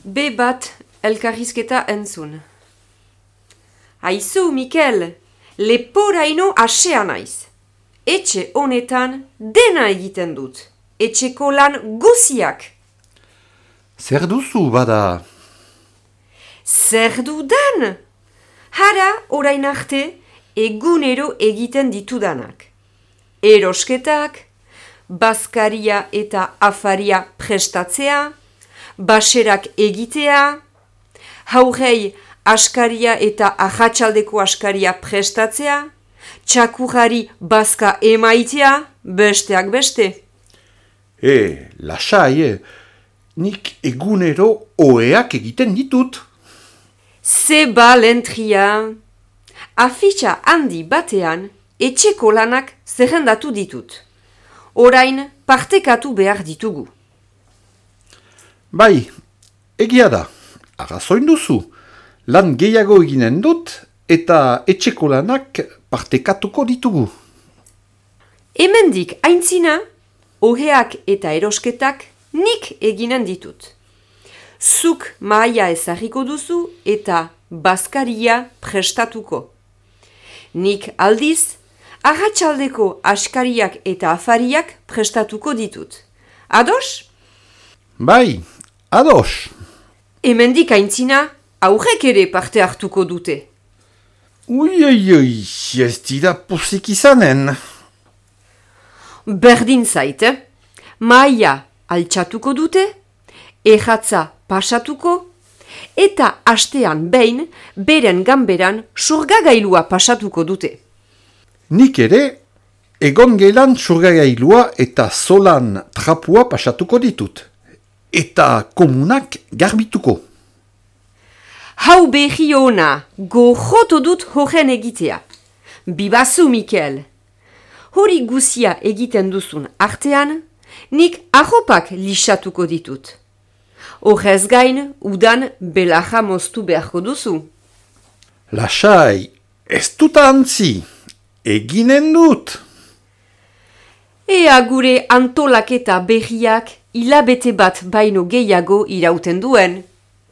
B1 elkarrizketa entzun. Aizu, Mikel, leporaino asea naiz. Etxe honetan dena egiten dut. Etxeko lan guziak. Zer duzu bada? Zer dudan? Hara orain arte egunero egiten ditudanak. Erosketak, bazkaria eta afaria prestatzea, baserak egitea, haurrei askaria eta ahatsaldeko askaria prestatzea, txakurrari bazka emaitea, besteak beste. Lasai, nik egunero oheak egiten ditut. Zeba lentria. Afitxa handi batean etxeko lanak zerrendatu ditut. Orain partekatu behar ditugu. Bai, egia da, arrazoin duzu. Lan gehiago eginen dut eta etxeko lanak partekatuko ditugu. Hemendik aintzina, oheak eta erosketak nik eginen ditut. Zuk mahaia ezarriko duzu eta bazkaria prestatuko. Nik aldiz, arratsaldeko askariak eta afariak prestatuko ditut. Ados? Bai, ados. Hemendik aintzina, aurrek ere parte hartuko dute. Ui, ez dira pozik izanen. Berdin zait, mahaia altxatuko dute, erratza pasatuko, eta astean behin beren ganberan surgagailua pasatuko dute. Nik ere, egon gelan surgagailua eta solan trapua pasatuko ditut. Eta komunak garbituko. Hau behi ona, gojoto dut horren egitea. Bibazu, Mikel. Hori guzia egiten duzun artean, nik arropak lixatuko ditut. Horrez gain, udan belaja moztu beharko duzu. Lasai, ez dut antzi, eginen dut. Ea gure antolaketa berriak hilabete bat baino gehiago irauten duen.